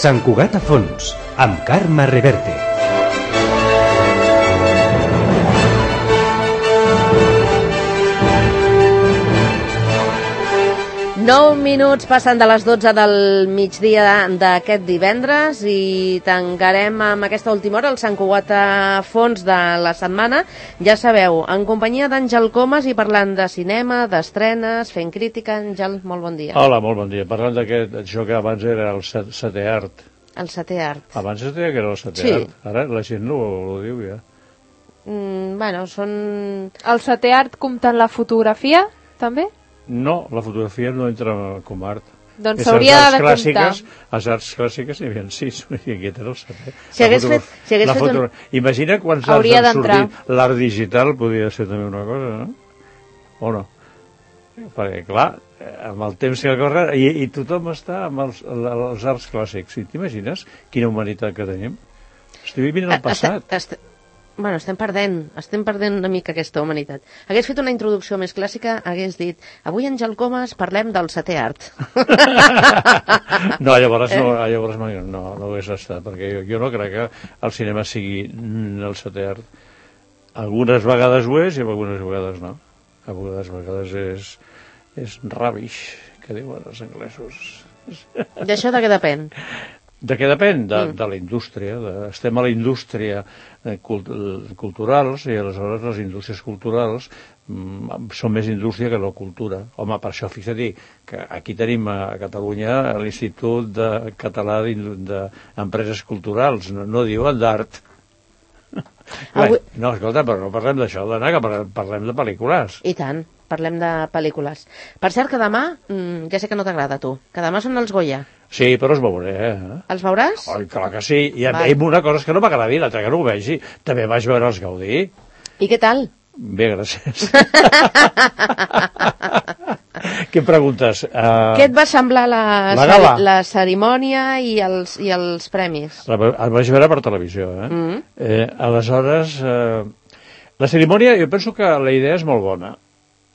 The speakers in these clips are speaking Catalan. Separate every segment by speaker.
Speaker 1: Sant Cugat a fons, amb Carme Reverte.
Speaker 2: Nou minuts passen de les 12 del migdia d'aquest divendres i tancarem amb aquesta última hora el Sant Cugat a fons de la setmana. Ja sabeu, en companyia d'Àngel Comas i parlant de cinema, d'estrenes, fent crítica. Àngel, molt bon dia.
Speaker 3: Hola, molt bon dia. Parlant d'això que abans era el setè art.
Speaker 2: El setè art.
Speaker 3: Abans es deia que era el setè art. Ara la gent no ho diu ja.
Speaker 2: Bueno, són...
Speaker 4: El setè art comptant la fotografia, també?
Speaker 3: No, la fotografia no entra com art.
Speaker 4: Doncs s'hauria de comptar.
Speaker 3: Les arts clàssiques n'hi havia 6, i aquest era el setè.
Speaker 2: Si hagués fet
Speaker 3: Imagina quants arts han sortit. L'art digital podria ser també una cosa, no? O no? Perquè, clar, amb el temps que corre, i tothom està amb els arts clàssics. I t'imagines quina humanitat que tenim? Estic vivint el passat.
Speaker 2: Bueno, estem perdent una mica aquesta humanitat. Hagués fet una introducció més clàssica, hagués dit, avui Àngel Comas parlem del setè art.
Speaker 3: No, llavors no hagués estat, perquè jo no crec que el cinema sigui el setè art. Algunes vegades ho és i algunes vegades no. Algunes vegades és rubbish, que diuen els anglesos.
Speaker 2: D'això de què depèn?
Speaker 3: De què depèn? De la indústria. Estem a la indústria culturals i aleshores les indústries culturals són més indústria que no cultura. Home, per això fixa't que aquí tenim a Catalunya l'Institut Català d'Empreses Culturals, no diuen d'art. No, escolta, però no parlem d'això, dona, que parlem de pel·lícules.
Speaker 2: I tant, parlem de pel·lícules. Per cert, que demà, ja sé que no t'agrada a tu, que demà són els Goya.
Speaker 3: Sí, però els veuré,
Speaker 2: Els veuràs?
Speaker 3: Ai, clar que sí. I una cosa és que no m'agradi, l'altra que no ho vegi. També vaig veure els Gaudí.
Speaker 2: I què tal?
Speaker 3: Bé, gràcies. Què preguntes?
Speaker 2: Què et va semblar la cerimònia i els premis?
Speaker 3: El vaig veure per televisió, aleshores, la cerimònia, jo penso que la idea és molt bona.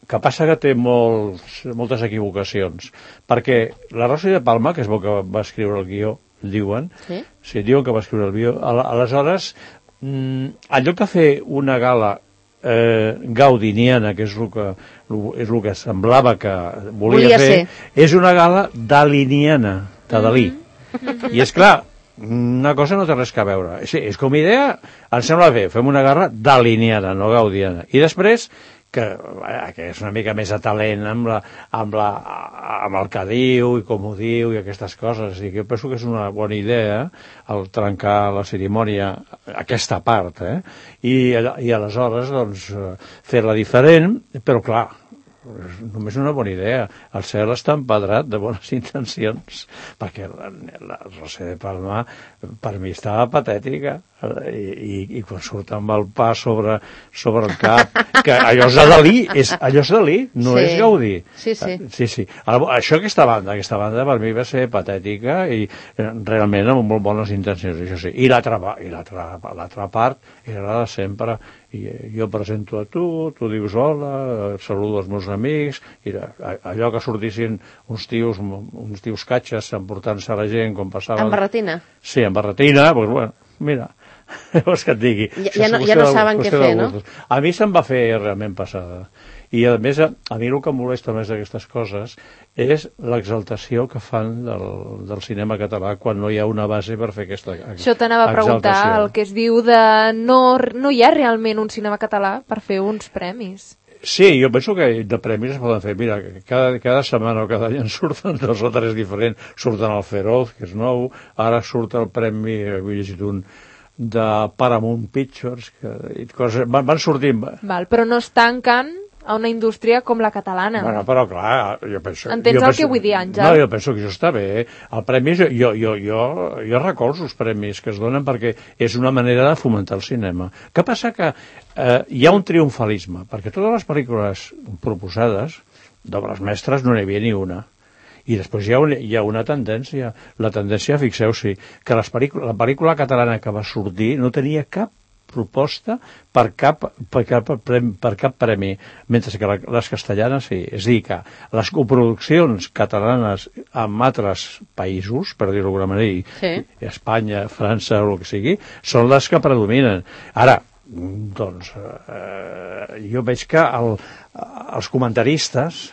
Speaker 3: Que passa que té moltes equivocacions, perquè la Rosa de Palma, que és bo que va escriure el guió, diuen, diuen que va escriure el guió, aleshores, en lloc de fer una gala gaudiniana, que és el que semblava que volia fer, és una gala daliniana, de Dalí. I és clar, una cosa no té res a veure. És com a idea, em sembla bé, fem una gala daliniana, no gaudiana. I després, que és una mica més a talent amb el que diu i com ho diu i aquestes coses. I jo penso que és una bona idea el trencar la cerimònia, aquesta part, i aleshores doncs, fer-la diferent, però clar, només una bona idea. El cel està empedrat de bones intencions, perquè la Rosa de Palma per mi estava patètica, i quan surt amb el pa sobre el cap, que allò és de Dalí, no és Gaudí. Sí. Aquesta banda per mi va ser patètica i realment amb molt bones intencions, això sí. I l'altra part era la de sempre. I jo presento a tu dius hola, saludo els meus amics, i allò que sortissin uns tios catxes emportant-se a la gent com passava...
Speaker 2: Amb barretina?
Speaker 3: Sí, amb barretina, doncs bueno, mira, vols que et digui.
Speaker 2: Ja no saben què fer, no?
Speaker 3: A mi se'm va fer realment passada. I a més, a mi el que em molesta més d'aquestes coses és l'exaltació que fan del cinema català quan no hi ha una base per fer aquesta exaltació.
Speaker 4: Això t'anava a preguntar, el que es diu de no hi ha realment un cinema català per fer uns premis.
Speaker 3: Sí, jo penso que de premis es poden fer. Mira, cada setmana o cada any en surten 2 o 3 diferents. Surten el Feroz, que és nou, ara surt el premi, he llegit un de Paramount Pictures, van sortint.
Speaker 4: Però no es tanquen a una indústria com la catalana.
Speaker 3: Bueno, però clar, jo penso...
Speaker 4: Entens el que vull dir, Àngel?
Speaker 3: No, jo penso que això està bé. El premi, jo recolzo els premis que es donen perquè és una manera de fomentar el cinema. Què passa? Que hi ha un triomfalisme, perquè totes les pel·lícules proposades d'obres mestres no n'hi havia ni una. I després hi ha una tendència. La tendència, fixeu-s'hi, que la pel·lícula catalana que va sortir no tenia cap proposta per cap premi, mentre que les castellanes sí. És a dir, que les coproduccions catalanes amb altres països, per dir-ho d'alguna manera, Espanya, França o el que sigui, són les que predominen. Ara, doncs, jo veig que els comentaristes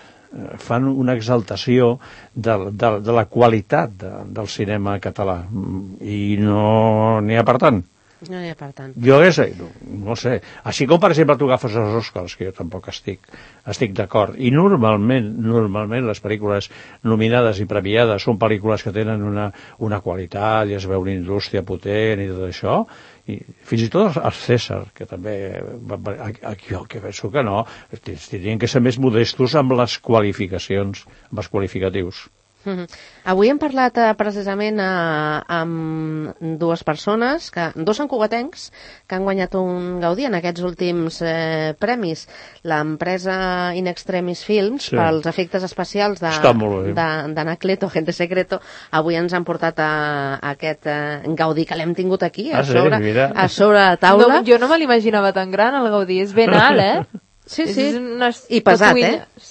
Speaker 3: fan una exaltació de la qualitat del cinema català i no n'hi ha per tant.
Speaker 2: No hi ha per tant.
Speaker 3: Jo no sé. Així com, per exemple, tu agafes els Oscars, que jo tampoc estic d'acord. I normalment les pel·lícules nominades i premiades són pel·lícules que tenen una qualitat i es veu una indústria potent i tot això. I fins i tot els César, que també jo que penso que no, tenien que ser més modestos amb les qualificacions, amb els qualificatius.
Speaker 2: Avui hem parlat precisament amb dues persones, dos santcugatencs, que han guanyat un Gaudí en aquests últims premis. L'empresa In Extremis Films, pels efectes especials d'Anacleto, Agente Secreto, avui ens han portat aquest Gaudí, que l'hem tingut aquí, a sobre la taula.
Speaker 4: Jo no me l'imaginava tan gran, el Gaudí. És ben alt,
Speaker 2: Sí. I pesat,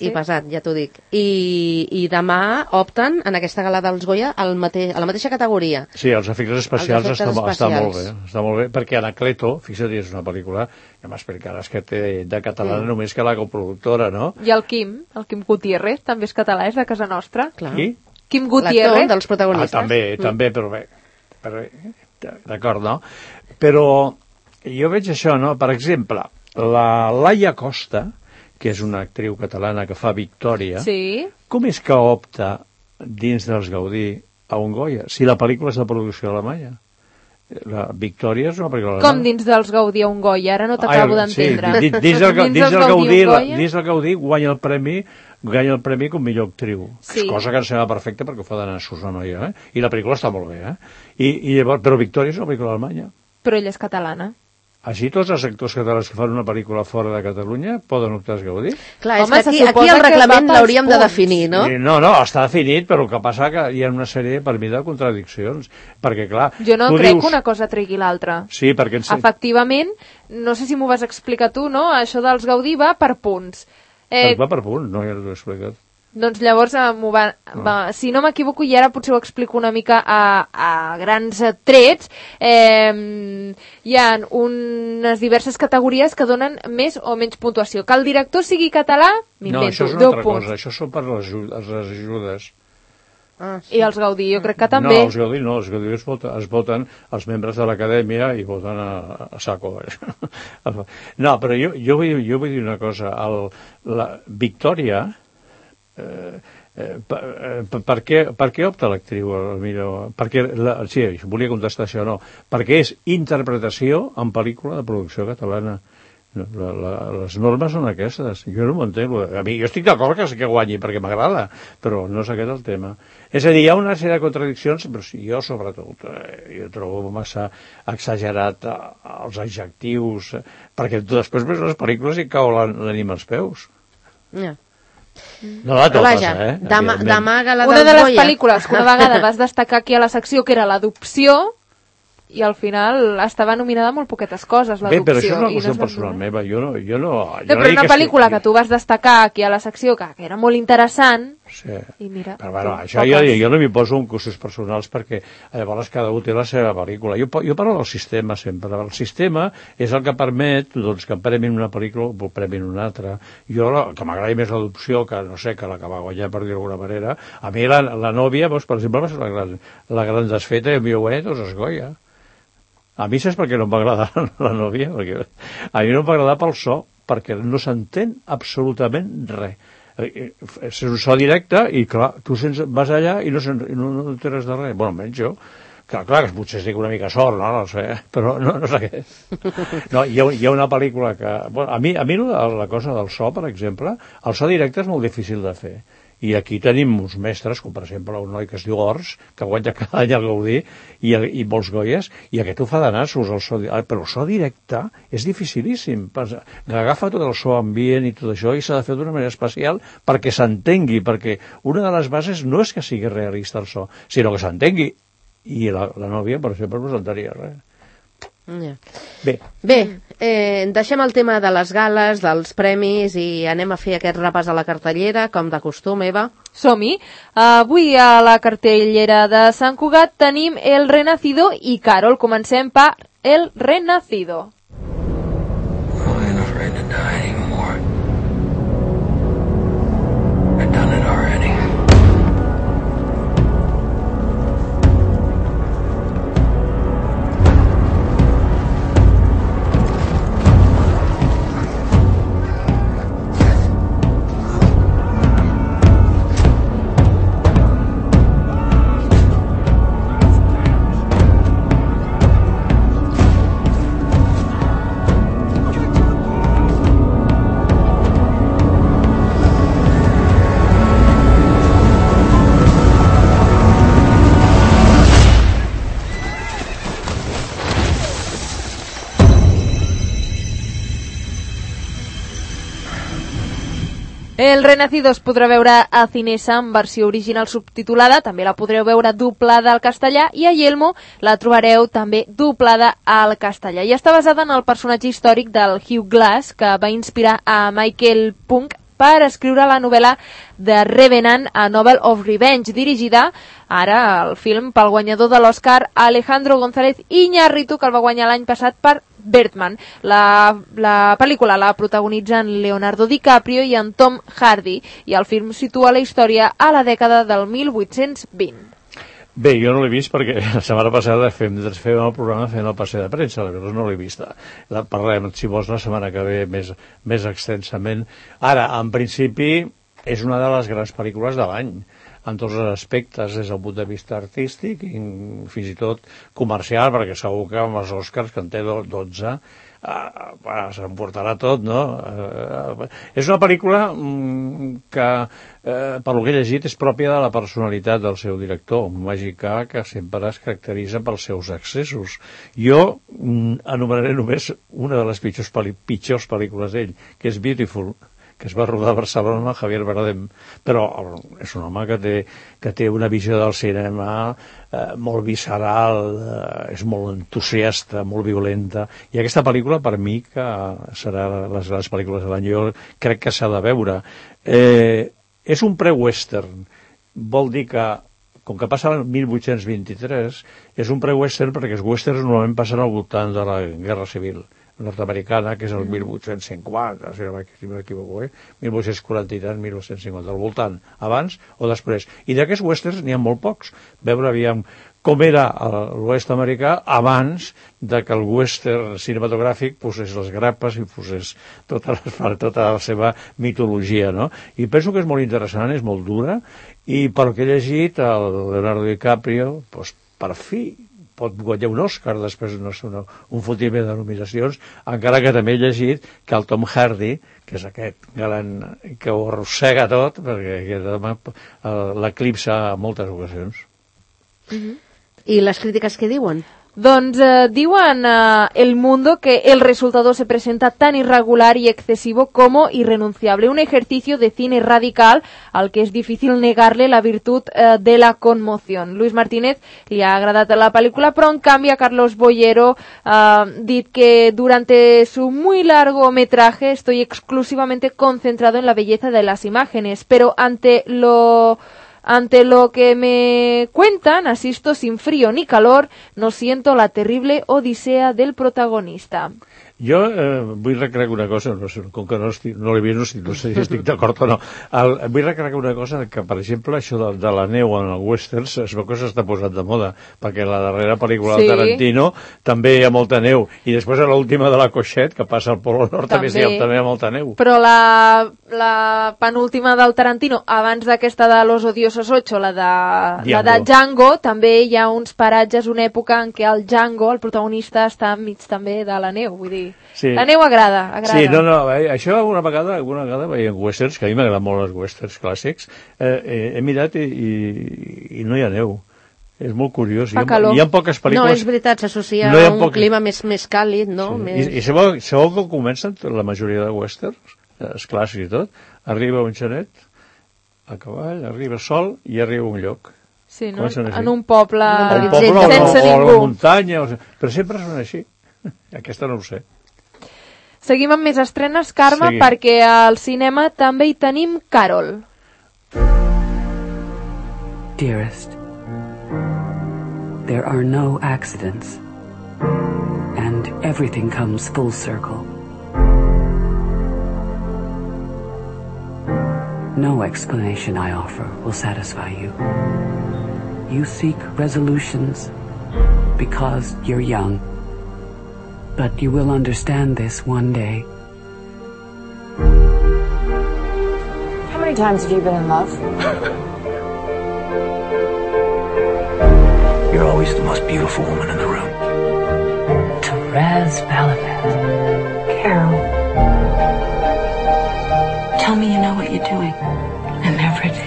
Speaker 2: I pesat, ja t'ho dic. I demà opten en aquesta gala dels Goya a la mateixa categoria.
Speaker 3: Sí, els efectes especials està molt bé. Està molt bé, perquè Anacleto, fixa't, és una pel·lícula, ja m'explicaràs que té de català només que la coproductora, no?
Speaker 4: I el Quim Gutiérrez, també és català, és de casa nostra.
Speaker 3: Qui?
Speaker 4: Quim Gutiérrez.
Speaker 2: L'actor dels protagonistes.
Speaker 3: També, però bé, d'acord, no? Però jo veig això, no? Per exemple, la Laia Costa, que és una actriu catalana que fa Victòria, com és que opta dins dels Gaudí a un Goya, si la pel·lícula és de producció alemanya? La Victòria és una pel·lícula alemanya.
Speaker 4: Com dins dels Gaudí a un Goya? Ara no t'acabo d'entendre.
Speaker 3: Sí, dins del Gaudí guanya el premi com millor actriu. Sí. Cosa que em sembla perfecta perquè ho fa d'anar a una noia, I la pel·lícula està molt bé, I llavors, però Victòria és una pel·lícula alemanya.
Speaker 4: Però ella és catalana.
Speaker 3: Així tots els actors catalans que fan una pel·lícula fora de Catalunya poden optar als Gaudí?
Speaker 2: Clar, és que aquí el reglament l'hauríem de definir, no?
Speaker 3: No, està definit, però el que passa que hi ha una sèrie, per mi, de contradiccions. Perquè, clar...
Speaker 4: Jo no crec que una cosa tregui l'altra.
Speaker 3: Sí, perquè...
Speaker 4: Efectivament, no sé si m'ho vas explicar tu, no? Això dels Gaudí va per punts.
Speaker 3: Va per punts, no, ja t'ho he explicat.
Speaker 4: Doncs llavors, si no m'equivoco, i ara potser ho explico una mica a grans trets, hi ha unes diverses categories que donen més o menys puntuació. Que el director sigui català, m'invento, 10 punts.
Speaker 3: No, això és una altra cosa, això són per les ajudes.
Speaker 4: I els Gaudí, jo crec que també.
Speaker 3: No, els Gaudí es voten els membres de l'acadèmia i voten a saco. No, però jo vull dir una cosa. La Victòria... per què opta l'actriu millor? Sí, volia contestar això, no, perquè és interpretació en pel·lícula de producció catalana. Les normes són aquestes, jo no m'ho entenc. Jo estic d'acord que guanyi perquè m'agrada, però no és aquest el tema. És a dir, hi ha una sèrie de contradiccions, però jo sobretot jo trobo massa exagerat els adjectius, perquè després veus les pel·lícules i cau l'ànima als peus. No la totes,
Speaker 2: d'amaga la
Speaker 4: una de les pel·lícules que una vegada vas destacar aquí a la secció, que era l'adopció, i al final estava nominada molt poquetes coses, l'adopció.
Speaker 3: Bé, però això és una qüestió personal meva, jo no...
Speaker 4: Però una pel·lícula que tu vas destacar aquí a la secció, que era molt interessant, i mira...
Speaker 3: Però bueno, això jo no m'hi poso en coses personals perquè llavors cada un té la seva pel·lícula. Jo parlo del sistema sempre. El sistema és el que permet que premin una pel·lícula o premin una altra. Jo, que m'agradi més l'adopció que, no sé, que la que va guanyar, per dir d'alguna manera, a mi la nòvia, per exemple, va ser la gran desfeta i a mi ho guanya tots els Goya. A mi saps per què no em va agradar la nòvia? Perquè a mi no em va agradar pel so, perquè no s'entén absolutament res. És un so directe i, clar, tu vas allà i no t'enteres de res. Bueno, almenys jo. Clar, que potser estic una mica sort, no sé, però no sé què. No, hi ha una pel·lícula que... Bueno, a mi la cosa del so, per exemple, el so directe és molt difícil de fer. I aquí tenim uns mestres, com per exemple un noi que es diu Ors, que guanya cada any el Gaudí i molts Goyes, i aquest ho fa de nassos, però el so directe és dificilíssim. Agafa tot el so ambient i tot això i s'ha de fer d'una manera especial perquè s'entengui, perquè una de les bases no és que sigui realista el so, sinó que s'entengui. I la nòvia, per exemple, no s'entenia res.
Speaker 2: Ja.
Speaker 3: Bé,
Speaker 2: Deixem el tema de les gales, dels premis i anem a fer aquest repàs a la cartellera, com de costum, Eva.
Speaker 4: Som-hi. Avui a la cartellera de Sant Cugat tenim El Renacido i Carol. Comencem per El Renacido.
Speaker 5: I'm afraid to die anymore. I've done it already.
Speaker 4: El Renacido es podrà veure a Cinesa en versió original subtitulada, també la podreu veure doblada al castellà, i a Yelmo la trobareu també doblada al castellà. I està basada en el personatge històric del Hugh Glass, que va inspirar a Michael Punke per escriure la novel·la The Revenant, a Novel of Revenge, dirigida ara al film pel guanyador de l'Oscar Alejandro González Iñárritu, que el va guanyar l'any passat per Birdman. La pel·lícula la protagonitzen Leonardo DiCaprio i en Tom Hardy, i el film situa la història a la dècada del 1820.
Speaker 3: Bé, jo no l'he vist perquè la setmana passada fem el programa fent el passeig de premsa, aleshores no l'he vista. La parlem, si vols, la setmana que ve més extensament. Ara, en principi, és una de les grans pel·lícules de l'any, en tots els aspectes, des del punt de vista artístic i fins i tot comercial, perquè segur que amb els Oscars, que en té 12, s'emportarà tot, no? És una pel·lícula que, per lo que he llegit, és pròpia de la personalitat del seu director, un mexicà que sempre es caracteritza pels seus excessos. Jo anomenaré només una de les pitjors pel·lícules d'ell, que és Beautiful, que es va rodar a Barcelona amb Javier Bardem, però és un home que té una visió del cinema molt visceral, és molt entusiasta, molt violenta, i aquesta pel·lícula per mi que serà les grans pel·lícules de l'any, jo crec que s'ha de veure. És un pre-western, vol dir que com que passa el 1823, és un pre-western perquè els westerns normalment passen al voltant de la Guerra Civil nord-americana, que és el 1850, si no m'equivoco, 1840 i tant, 1850, al voltant, abans o després. I d'aquests westerns n'hi ha molt pocs. Veure, aviam, com era l'oest americà abans de que el western cinematogràfic posés les grapes i posés tota la seva mitologia, no? I penso que és molt interessant, és molt dura, i pel que he llegit, el Leonardo DiCaprio, doncs, per fi, pot guanyar un Òscar després un fotiment de nominacions, encara que també he llegit que el Tom Hardy, que és aquest galant que ho arrossega tot, perquè l'eclipsa en moltes ocasions.
Speaker 2: I les crítiques què diuen?
Speaker 4: Doncs diuen El Mundo que el resultado se presenta tan irregular y excesivo como irrenunciable. Un ejercicio de cine radical al que es difícil negarle la virtud de la conmoción. Luis Martínez li ha agradat la pel·lícula, però en canvi a Carlos Bollero dit que durante su muy largo metraje estoy exclusivamente concentrado en la belleza de las imágenes, pero ante lo que me cuentan, asisto sin frío ni calor, no siento la terrible odisea del protagonista.
Speaker 3: Jo vull recrear una cosa, no sé, com que no l'he vist, no sé si estic d'acord o no. Vull recrear una cosa, que per exemple això de la neu en el westerns es veu que s'està posant de moda, perquè la darrera pel·lícula de Tarantino també hi ha molta neu, i després a l'última de la Coixet, que passa al Polo Nord, també hi ha molta neu.
Speaker 4: Però la penúltima del Tarantino, abans d'aquesta de Los Odiosos 8, la de Django, també hi ha uns paratges, una època en què el Django, el protagonista, està enmig també de la neu, vull dir, sí. La neu agrada.
Speaker 3: Sí, això alguna vegada veiem westerns, que a mi m'agraden molt els westerns clàssics, he mirat i no hi ha neu. És molt curiós. Hi ha poques pel·lícules...
Speaker 2: No, és veritat, s'associa a un clima més càlid, no?
Speaker 3: I sabeu com comencen la majoria de westerns, els clàssics i tot? Arriba un xanet a cavall, arriba sol i arriba un lloc.
Speaker 4: Sí, no? En un poble
Speaker 3: sense ningú. O a la muntanya, però sempre són així. Aquesta no ho sé.
Speaker 4: Seguim amb més estrenes, Carme,
Speaker 3: Seguim.
Speaker 4: perquè al cinema també hi tenim Carol.
Speaker 6: Dearest, there are no accidents, and everything comes full circle. No explanation I offer will satisfy you. You seek resolutions because you're young, but you will understand this one day.
Speaker 7: How many times have you been in love?
Speaker 5: You're always the most beautiful woman in the room.
Speaker 6: Therese Balabat.
Speaker 7: Carol. Tell me you know what you're doing.
Speaker 6: I never did.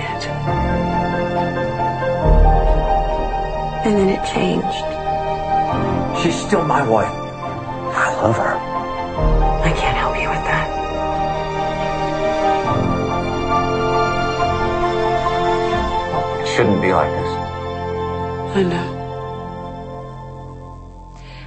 Speaker 7: And then it changed.
Speaker 5: She's still my wife. I love her.
Speaker 6: I can't help you with that.
Speaker 5: It shouldn't be like this.
Speaker 6: I know.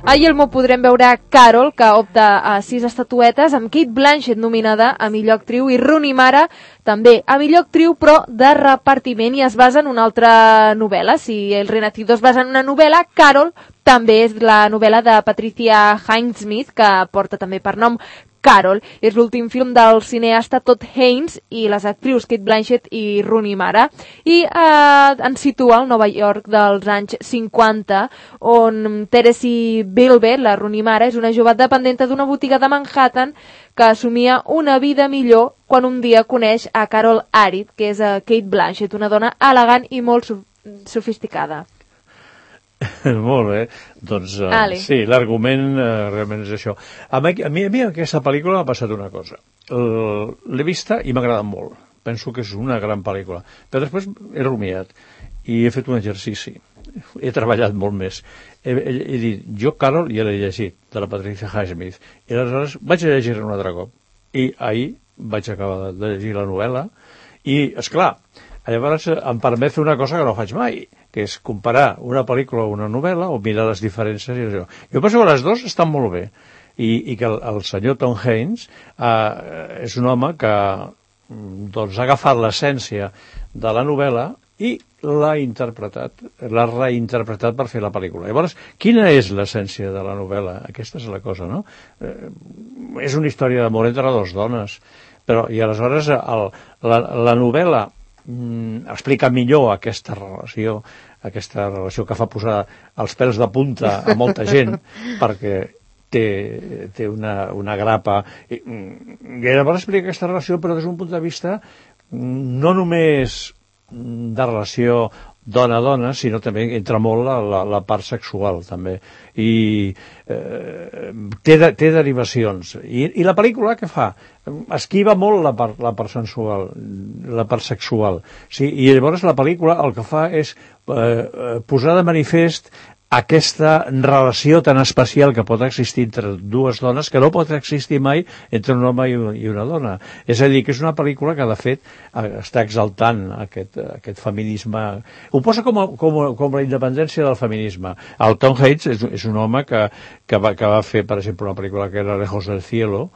Speaker 4: A Yelmo podrem veure Carol, que opta a 6 estatuetes, amb Cate Blanchett nominada a millor actriu i Rooney Mara també a millor actriu, però de repartiment, i es basa en una altra novel·la. Si El Renacimiento es basa en una novel·la, Carol també és la novel·la de Patricia Highsmith, que porta també per nom Carol. És l'últim film del cineasta Todd Haynes i les actrius Cate Blanchett i Rooney Mara, i ens situa al Nova York dels anys 50, on Teresa Bilbe, la Rooney Mara, és una jove dependenta d'una botiga de Manhattan que assumia una vida millor quan un dia coneix a Carol Arid, que és Cate Blanchett, una dona elegant i molt sofisticada.
Speaker 3: Molt bé, doncs sí, l'argument realment és això. A mi aquesta pel·lícula m'ha passat una cosa. L'he vista i m'ha agradat molt. Penso que és una gran pel·lícula. Però després he rumiat i he fet un exercici. He treballat molt més. He dit, jo Carol ja l'he llegit, de la Patricia Highsmith, i aleshores vaig a llegir-la un altre cop. I ahir vaig acabar de llegir la novel·la i, esclar, llavors em permet fer una cosa que no faig mai, que és comparar una pel·lícula o una novel·la o mirar les diferències i això. Jo penso que les dues estan molt bé i que el senyor Tom Haynes és un home que doncs, ha agafat l'essència de la novel·la i l'ha reinterpretat per fer la pel·lícula. Llavors, quina és l'essència de la novel·la? Aquesta és la cosa, no? És una història d'amor entre dues dones, però i aleshores la novel·la explica millor aquesta relació que fa posar els pèls de punta a molta gent perquè té una grapa i llavors explica aquesta relació però des d'un punt de vista no només de relació dona-dona, sinó també entra molt la part sexual també i té derivacions i la pel·lícula què fa? Esquiva molt la part sensual, la part sexual, sí? I llavors la pel·lícula el que fa és posar de manifest aquesta relació tan especial que pot existir entre dues dones que no pot existir mai entre un home i una dona. És a dir, que és una pel·lícula que de fet està exaltant aquest feminisme. Ho posa com la independència del feminisme. El Tom Haynes és un home que va fer, per exemple, una pel·lícula que era Lejos del cielo,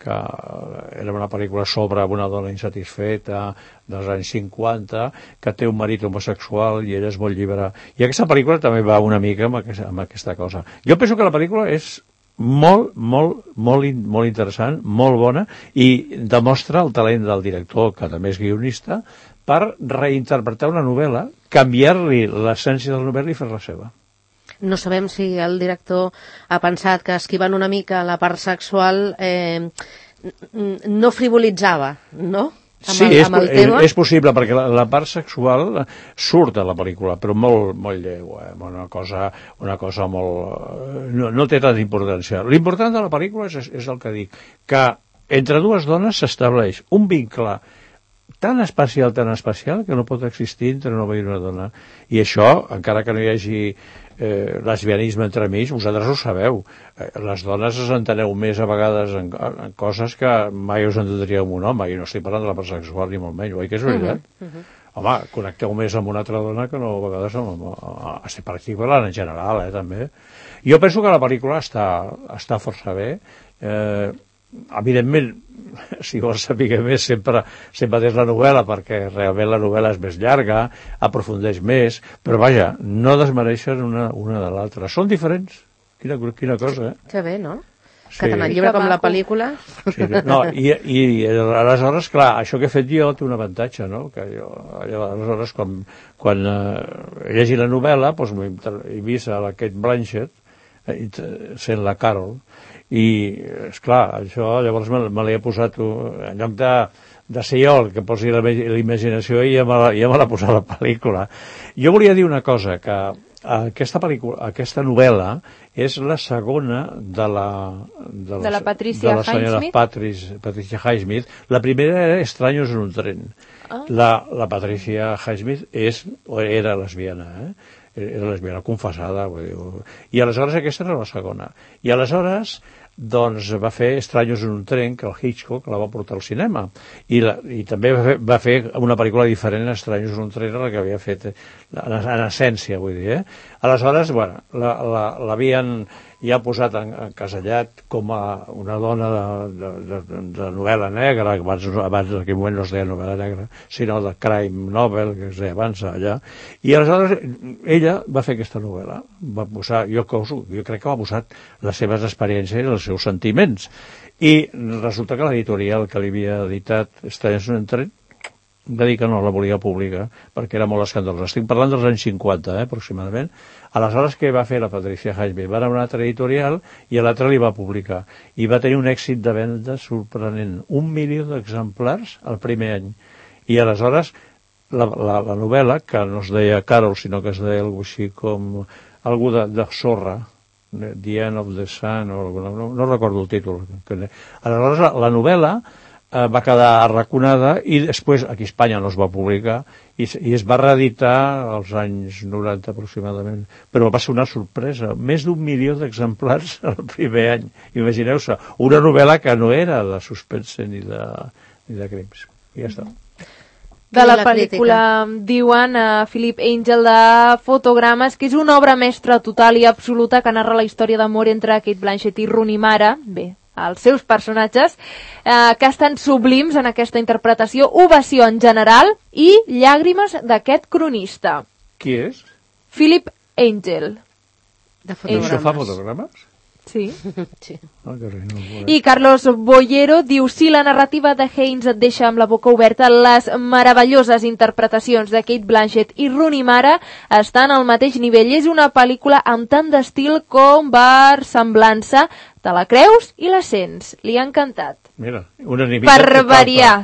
Speaker 3: que era una pel·lícula sobre una dona insatisfeta dels anys 50, que té un marit homosexual i ella és molt lliure. I aquesta pel·lícula també va una mica amb aquesta cosa. Jo penso que la pel·lícula és molt interessant, molt bona, i demostra el talent del director, que també és guionista, per reinterpretar una novel·la, canviar-li l'essència de la novel·la i fer-la seva.
Speaker 2: No sabem si el director ha pensat que esquivant una mica la part sexual no frivolitzava, no?
Speaker 3: Sí, és possible, perquè la part sexual surt a la pel·lícula, però molt lleu, una cosa molt... No té tanta importància. L'important de la pel·lícula és el que dic, que entre dues dones s'estableix un vincle tan especial, que no pot existir entre un home i una dona. I això, encara que no hi hagi lesbianisme entremig, vosaltres ho sabeu. Les dones us enteneu més a vegades en coses que mai us entendríeu amb un home, i no estic parlant de la part sexual ni molt menys, oi que és veritat? home, connecteu més amb una altra dona que no a vegades per exemple, en general, també. Jo penso que la pel·lícula està força bé. Evidentment, si vols saber més, sempre és la novel·la, perquè realment la novel·la és més llarga, aprofundeix més, però vaja, no desmereixen una de l'altra. Són diferents. Quina cosa,
Speaker 2: Que bé, no?
Speaker 3: Sí.
Speaker 2: Que tant el llibre com la pel·lícula...
Speaker 3: Sí, no, i aleshores, clar, això que he fet jo té un avantatge, no? Que jo, aleshores, quan llegi la novel·la, doncs he vist a la Kate Blanchett sent la Carol, i, esclar, això llavors me l'he posat, en lloc de ser jo el que posi la imaginació, i ja me l'ha posat la pel·lícula. Jo volia dir una cosa, que aquesta novel·la és la segona de la
Speaker 4: Patricia
Speaker 3: senyora Patricia Highsmith. La primera era Extraños en un tren. La Patricia Highsmith era lesbiana, era lesbiana confessada, i aleshores aquesta era la segona. I aleshores doncs va fer Extraños en un tren, que el Hitchcock la va portar al cinema, i també va fer una pel·lícula diferent, Extraños en un tren, la que havia fet en essència, vull dir, Aleshores, bueno, l'havien ja posat encasellat com a una dona de novel·la negra, abans en aquell moment no es deia novel·la negra, sinó de crime novel, que es deia abans allà, i aleshores ella va fer aquesta novel·la, va posar, jo crec que va posar les seves experiències i els seus sentiments, i resulta que l'editorial que li havia editat Extraños en un tren va dir que no la volia publicar perquè era molt escandalosa. Estic parlant dels anys 50, aproximadament. Aleshores, què va fer la Patricia Highsmith? Va anar a una altra editorial i a l'altra li va publicar. I va tenir un èxit de venda sorprenent. 1 milió d'exemplars el primer any. I aleshores, la novel·la, que no es deia Carol, sinó que es deia alguna així com algú de sorra, The End of the Sun, no recordo el títol. Aleshores, la novel·la va quedar arraconada i després aquí a Espanya no es va publicar i es va reeditar als anys 90 aproximadament, però va ser una sorpresa, més d'1 milió d'exemplars el primer any. Imagineu-se, una novel·la que no era de suspense ni de crims. I ja està.
Speaker 4: De la pel·lícula diuen Philip Angel de Fotogrames que és una obra mestra total i absoluta que narra la història d'amor entre Kate Blanchett i Rooney Mara, els seus personatges, que estan sublims en aquesta interpretació, ovació en general i llàgrimes d'aquest cronista.
Speaker 3: Qui és?
Speaker 4: Philip Angel.
Speaker 2: De Fotogrames.
Speaker 3: Això fa fotogrames?
Speaker 4: Sí.
Speaker 2: Sí.
Speaker 4: I Carlos Bollero diu: si la narrativa de Haynes et deixa amb la boca oberta, les meravelloses interpretacions de Kate Blanchett i Rooney Mara estan al mateix nivell. És una pel·lícula amb tant d'estil com versemblança. Te la creus i la sents. Li ha encantat.
Speaker 3: Mira, unanimitat
Speaker 4: per variar.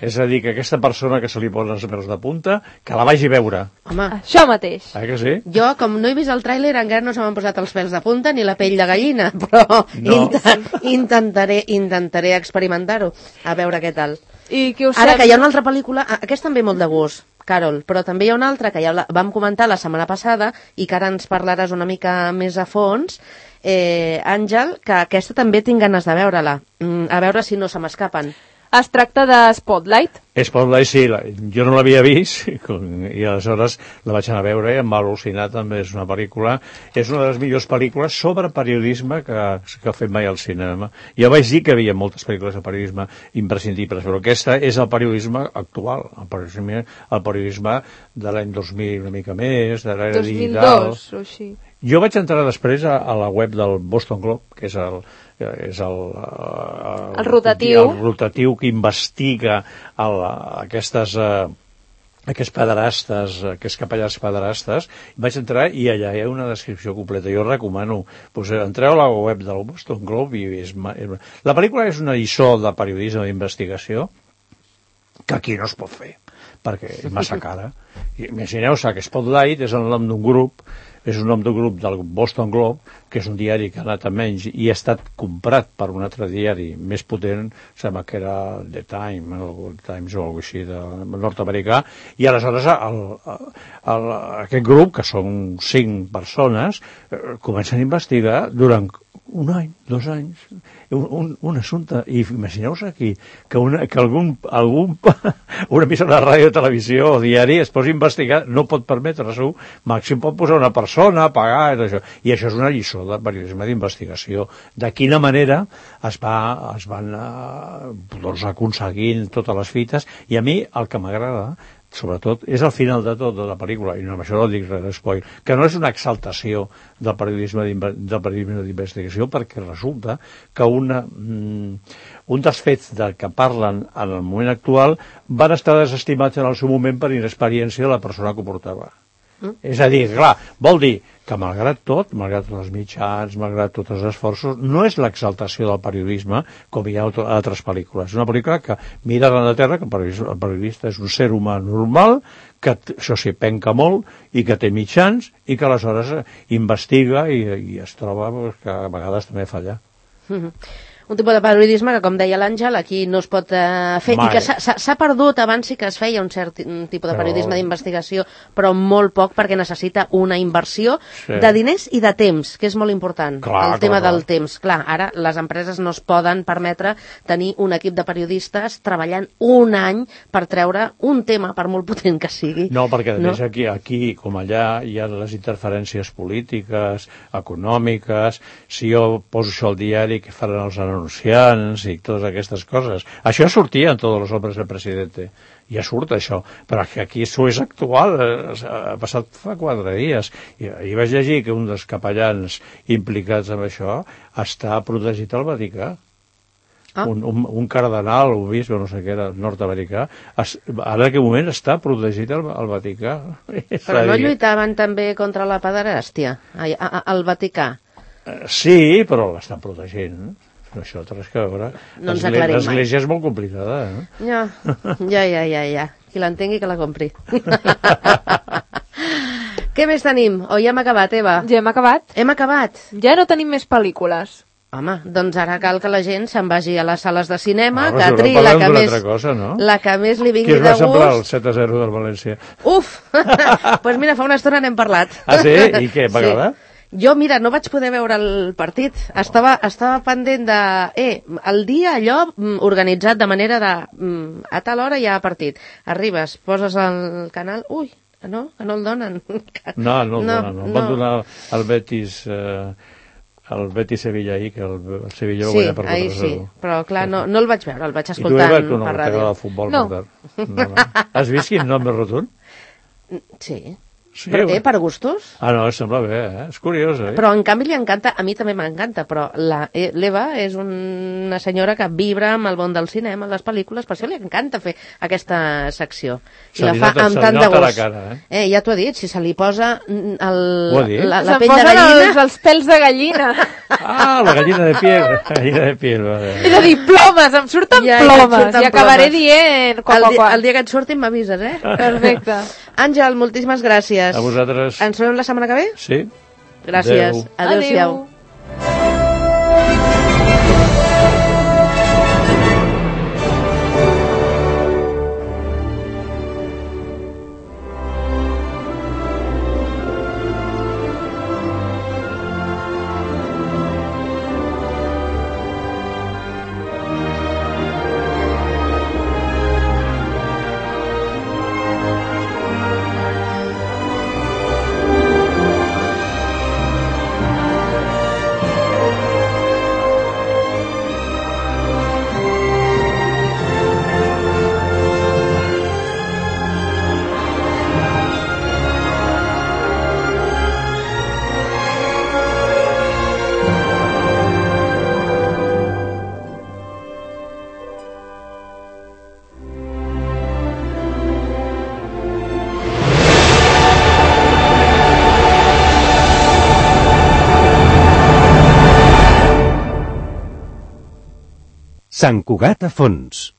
Speaker 3: És a dir, que aquesta persona que se li posen els peus de punta, que la vagi a veure.
Speaker 2: Home,
Speaker 4: això mateix.
Speaker 3: Que sí?
Speaker 2: Jo, com no he vist el tràiler, encara no se m'han posat els pèls de punta ni la pell de gallina, però intentaré experimentar-ho, a veure què tal.
Speaker 4: I què us
Speaker 2: Ara que hi ha una altra pel·lícula, aquesta també molt de gust, Carol, però també hi ha una altra que ja vam comentar la setmana passada i que ara ens parlaràs una mica més a fons, Àngel, que aquesta també tinc ganes de veure-la, a veure si no se m'escapen.
Speaker 4: Es tracta de Spotlight.
Speaker 3: Spotlight, sí, jo no l'havia vist i aleshores la vaig anar a veure i em va al·lucinar, també és una pel·lícula, és una de les millors pel·lícules sobre periodisme que ha fet mai al cinema. Jo vaig dir que hi havia moltes pel·lícules de periodisme imprescindibles, però aquesta és el periodisme actual, el periodisme de l'any 2000 una mica més, de l'era digital.
Speaker 4: 2002 o així.
Speaker 3: Jo vaig entrar després a la web del Boston Globe, que és el rotatiu que investiga aquests pederastes, aquests capellans pederastes. Vaig entrar i allà hi ha una descripció completa. Jo recomano, entreu a la web del Boston Globe i la pel·lícula és una lliçó de periodisme d'investigació que aquí no es pot fer perquè és massa cara. Imagineu-se que Spotlight és el nom d'un grup és un nom d'un grup del Boston Globe, que és un diari que ha anat a menys i ha estat comprat per un altre diari més potent, sembla que era The Times o alguna així, nord-americà, i aleshores aquest grup, que són 5 persones, comencen a investigar durant un any, 2 anys, un assumpte. I imagineu-vos aquí que una emissora de ràdio, televisió o diari es posi a investigar, no pot permetre-s'ho, màxim pot posar una persona, pagar, i això és una lliçó de periodisme d'investigació. De quina manera es van aconseguint totes les fites, i a mi el que m'agrada sobretot, és al final de tot de la pel·lícula, i no, amb això no dic res d'espoil, que no és una exaltació del periodisme d'investigació, perquè resulta que un dels fets del que parlen en el moment actual van estar desestimats en el seu moment per inexperiència de la persona que ho portava. És a dir, clar, vol dir que malgrat tot, malgrat els mitjans, malgrat tots els esforços, no és l'exaltació del periodisme com hi ha a altres pel·lícules. És una pel·lícula que mira a la Terra, que el periodista és un ser humà normal, que això s'hi penca molt i que té mitjans i que aleshores investiga i es troba que a vegades també falla.
Speaker 2: Un tipus de periodisme que, com deia l'Àngel, aquí no es pot fer, i que s'ha perdut. Abans sí que es feia un cert tipus de periodisme d'investigació, però molt poc, perquè necessita una inversió de diners i de temps, que és molt important, el tema del temps. Clar, ara les empreses no es poden permetre tenir un equip de periodistes treballant un any per treure un tema, per molt potent que sigui.
Speaker 3: No, perquè a més aquí com allà hi ha les interferències polítiques, econòmiques. Si jo poso això al diari, què faran els anunciants i totes aquestes coses. Això sortia en tots els hombres del presidente. Ja surt això. Però que aquí això és actual. Ha passat fa 4 dies. I vaig llegir que un dels capellans implicats en això està protegit al Vaticà. Un cardenal, un bisbe, no sé què era, nord-americà, ara en aquest moment està protegit al Vaticà.
Speaker 2: Però no lluitaven també contra la pederàstia al Vaticà?
Speaker 3: Sí, però l'estan protegint. Això té res que veure.
Speaker 2: No ens aclarim mai.
Speaker 3: L'església és molt complicada,
Speaker 2: Ja. Qui l'entengui que la compri. Què més tenim? O ja hem acabat, Eva?
Speaker 4: Ja hem acabat.
Speaker 2: Hem acabat.
Speaker 4: Ja no tenim més pel·lícules.
Speaker 2: Home, doncs ara cal que la gent se'n vagi a les sales de cinema,
Speaker 3: que
Speaker 2: triï la que més li vingui de gust.
Speaker 3: Qui es va semblar el 7-0 del València?
Speaker 2: Uf! Doncs mira, fa una estona n'hem parlat.
Speaker 3: Ah, sí? I què, va agradar?
Speaker 2: Jo, mira, no vaig poder veure el partit. Estava pendent de... el dia allò organitzat de manera de... a tal hora hi ha partit. Arribes, poses el canal... Ui, no? Que no el donen.
Speaker 3: No el donen. Van donar el Betis... el Betis-Sevilla ahir, que el Sevilla ho guanya per 4-0.
Speaker 2: Sí, però clar, no el vaig veure, el vaig escoltant per ràdio.
Speaker 3: I tu, Eva, t'agrada el futbol? No. Has vist quin nom més rotund?
Speaker 2: Sí.
Speaker 3: Sí,
Speaker 2: per gustos?
Speaker 3: Ah, no, sembla bé, és curiós,
Speaker 2: Però en canvi li encanta, a mi també m'encanta, però l'Eva és una senyora que vibra amb el món del cinema, les pel·lícules, per això li encanta fer aquesta secció. I la fa amb tant de gust. Ja t'ho he dit, si se li posa la pell de gallina...
Speaker 4: els pèls de gallina.
Speaker 3: Ah, la gallina de piel.
Speaker 4: És a dir, plomes, em surten plomes, i acabaré dient...
Speaker 2: El dia que et surtin m'avises,
Speaker 4: Perfecte.
Speaker 2: Àngel, moltíssimes gràcies.
Speaker 3: A vosaltres.
Speaker 2: Ens trobem la setmana que ve?
Speaker 3: Sí.
Speaker 2: Gràcies. Adéu-siau.
Speaker 1: Sant Cugat a fons.